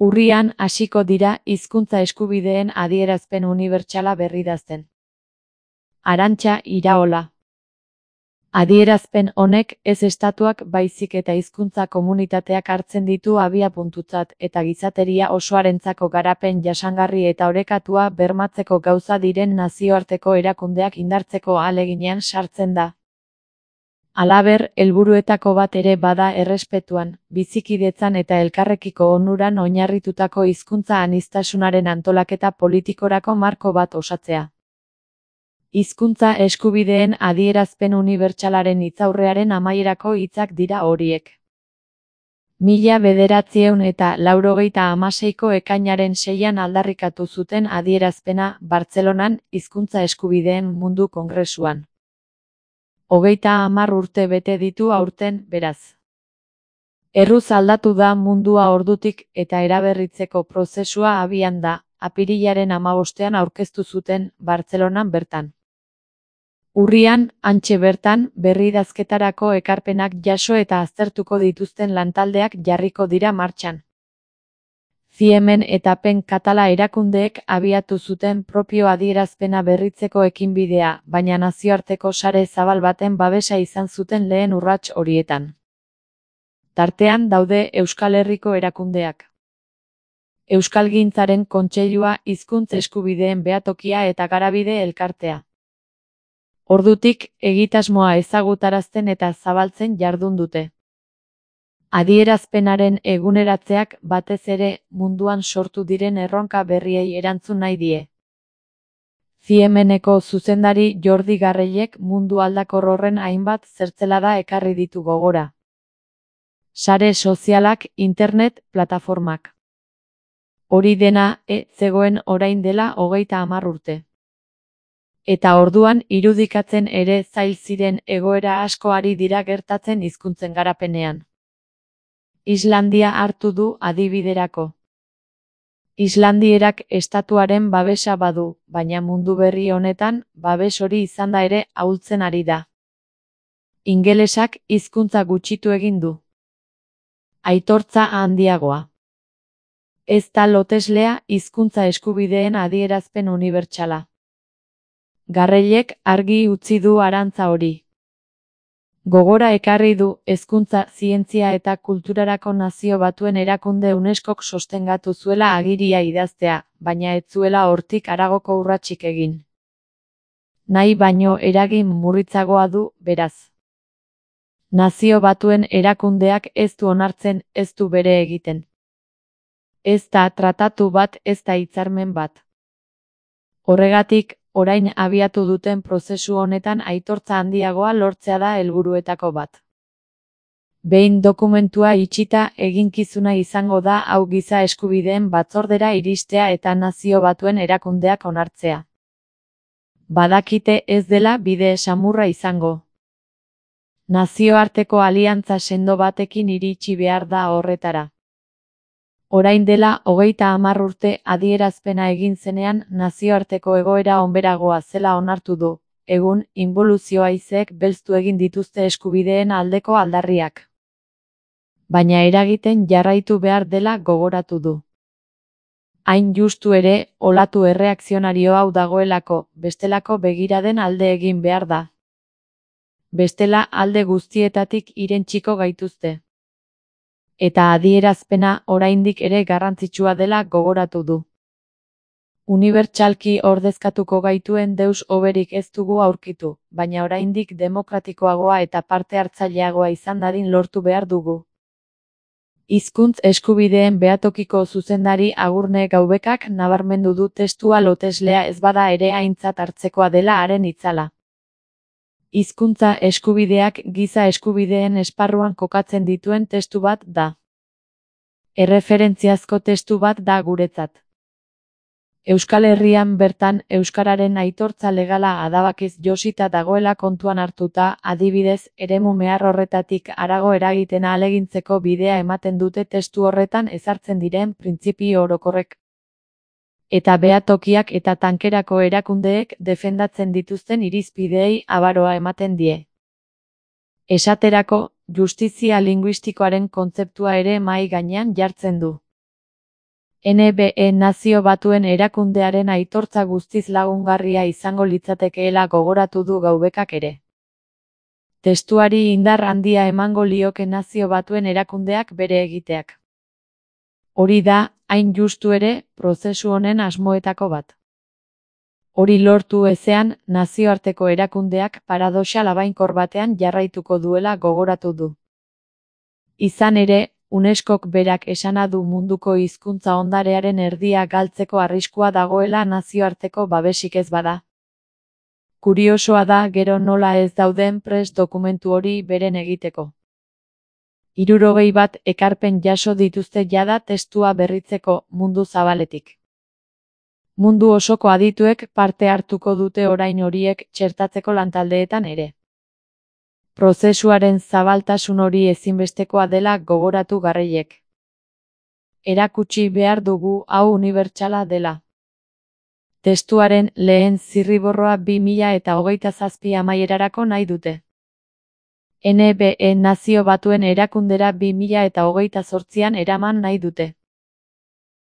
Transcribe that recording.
Urrian hasiko dira hizkuntza eskubideen adierazpen unibertsala berridazten. Arantxa Iraola. Adierazpen honek ez estatuak baizik eta hizkuntza komunitateak hartzen ditu abiapuntutzat eta gizateria osoarentzako garapen jasangarri eta orekatua bermatzeko gauza diren nazioarteko erakundeak indartzeko ahaleginean sartzen da. Halaber, helburuetako bat ere bada errespetuan, bizikidetzan eta elkarrekiko onuran oinarritutako hizkuntza aniztasunaren antolaketa politikorako marko bat osatzea. Hizkuntza eskubideen adierazpen unibertsalaren hitzaurrearen amaierako hitzak dira horiek. 1996ko ekainaren 6an aldarrikatu zuten adierazpena Bartzelonan hizkuntza eskubideen mundu kongresuan. 30 urte bete ditu aurten, beraz. Erruz aldatu da mundua ordutik eta eraberritzeko prozesua abian da, apirilaren 15ean aurkeztu zuten Bartzelonan bertan. Urrian, hantxe bertan, berridazketarako ekarpenak jaso eta aztertuko dituzten lantaldeak jarriko dira martxan. CIEMen eta PEN Katala erakundeek abiatu zuten propio adierazpena berritzeko ekinbidea, baina nazioarteko sare zabal baten babesa izan zuten lehen urrats horietan. Tartean daude Euskal Herriko erakundeak. Euskalgintzaren Kontseilua, Hizkuntz Eskubideen Behatokia eta Garabide Elkartea. Ordutik, egitasmoa ezagutarazten eta zabaltzen jardun dute. Adierazpenaren eguneratzeak batez ere munduan sortu diren erronka berriei erantzun nahi die. CIEMeneko zuzendari Jordi Garrelek mundu aldakor horren hainbat zertzelada ekarri ditu gogora. Sare sozialak, internet, plataformak. Hori dena, zegoen orain dela 30 urte. Eta orduan irudikatzen ere zail ziren egoera asko ari dira gertatzen hizkuntzen garapenean. Islandia hartu du adibiderako. Islandierak estatuaren babesa badu, baina mundu berri honetan, babes hori izan da ere ahultzen ari da. Ingelesak hizkuntza gutxitu egin du. Aitortza handiagoa. Ez da loteslea hizkuntza eskubideen adierazpen unibertsala. Garrelek argi utzi du arantza hori. Gogora ekarri du hezkuntza, zientzia eta kulturarako Nazio Batuen Erakunde UNESCOk sostengatu zuela agiria idaztea, baina ez zuela hortik haragoko urratsik egin. Nahi baino eragin murritzagoa du, beraz. Nazio Batuen Erakundeak ez du onartzen, ez du bere egiten. Ez da tratatu bat, ez da hitzarmen bat. Horregatik, orain abiatu duten prozesu honetan aitortza handiagoa lortzea da helburuetako bat. Behin dokumentua itxita eginkizuna izango da hau giza eskubideen batzordera iristea eta Nazio Batuen Erakundeak onartzea. Badakite ez dela bide samurra izango. Nazioarteko aliantza sendo batekin iritsi behar da horretara. Orain dela 30 urte adierazpena egin zenean nazioarteko egoera onberagoa zela onartu du, egun inboluzio haizeek belztu egin dituzte eskubideen aldeko aldarriak. Baina eragiten jarraitu behar dela gogoratu du. Hain justu ere, olatu erreakzionario hau dagoelako, bestelako begiraden alde egin behar da. Bestela alde guztietatik irentsiko gaituzte. Eta adierazpena oraindik ere garrantzitsua dela gogoratu du. Unibertsalki ordezkatuko gaituen deus hoberik ez dugu aurkitu, baina oraindik demokratikoagoa eta parte hartzaileagoa izan dadin lortu behar dugu. Hizkuntz eskubideen behatokiko zuzendari Agurne Gaubekak nabarmendu du testua loteslea ez bada ere aintzat hartzekoa dela haren itzala. Hizkuntza eskubideak giza eskubideen esparruan kokatzen dituen testu bat da. Erreferentziazko testu bat da guretzat. Euskal Herrian bertan euskararen aitortza legala adabakiz josita dagoela kontuan hartuta, adibidez, eremu mehar horretatik harago eragiten ahalegintzeko bidea ematen dute testu horretan ezartzen diren printzipio orokorrek. Eta behatokiak eta tankerako erakundeek defendatzen dituzten irizpideei abaroa ematen die. Esaterako, justizia linguistikoaren kontzeptua ere mahai gainean jartzen du. NBE Nazio Batuen Erakundearen aitortza guztiz lagungarria izango litzatekeela gogoratu du Gaubekak ere. Testuari indar handia emango lioke Nazio Batuen Erakundeak bere egiteak. Hori da, hain justu ere, prozesu honen asmoetako bat. Hori lortu ezean, nazioarteko erakundeak paradoxa labainkor batean jarraituko duela gogoratu du. Izan ere, UNESCOk berak esana du munduko hizkuntza ondarearen erdia galtzeko arriskua dagoela nazioarteko babesik ez bada. Kuriosoa da gero nola ez dauden prest dokumentu hori beren egiteko. 61 ekarpen jaso dituzte jada testua berritzeko mundu zabaletik. Mundu osoko adituek parte hartuko dute orain horiek txertatzeko lantaldeetan ere. Prozesuaren zabaltasun hori ezinbestekoa dela gogoratu Garraiek. Erakutsi behar dugu hau unibertsala dela. Testuaren lehen zirriborroa 2027 amaierarako nahi dute. NBE Nazio Batuen Erakundera 2028an eraman nahi dute.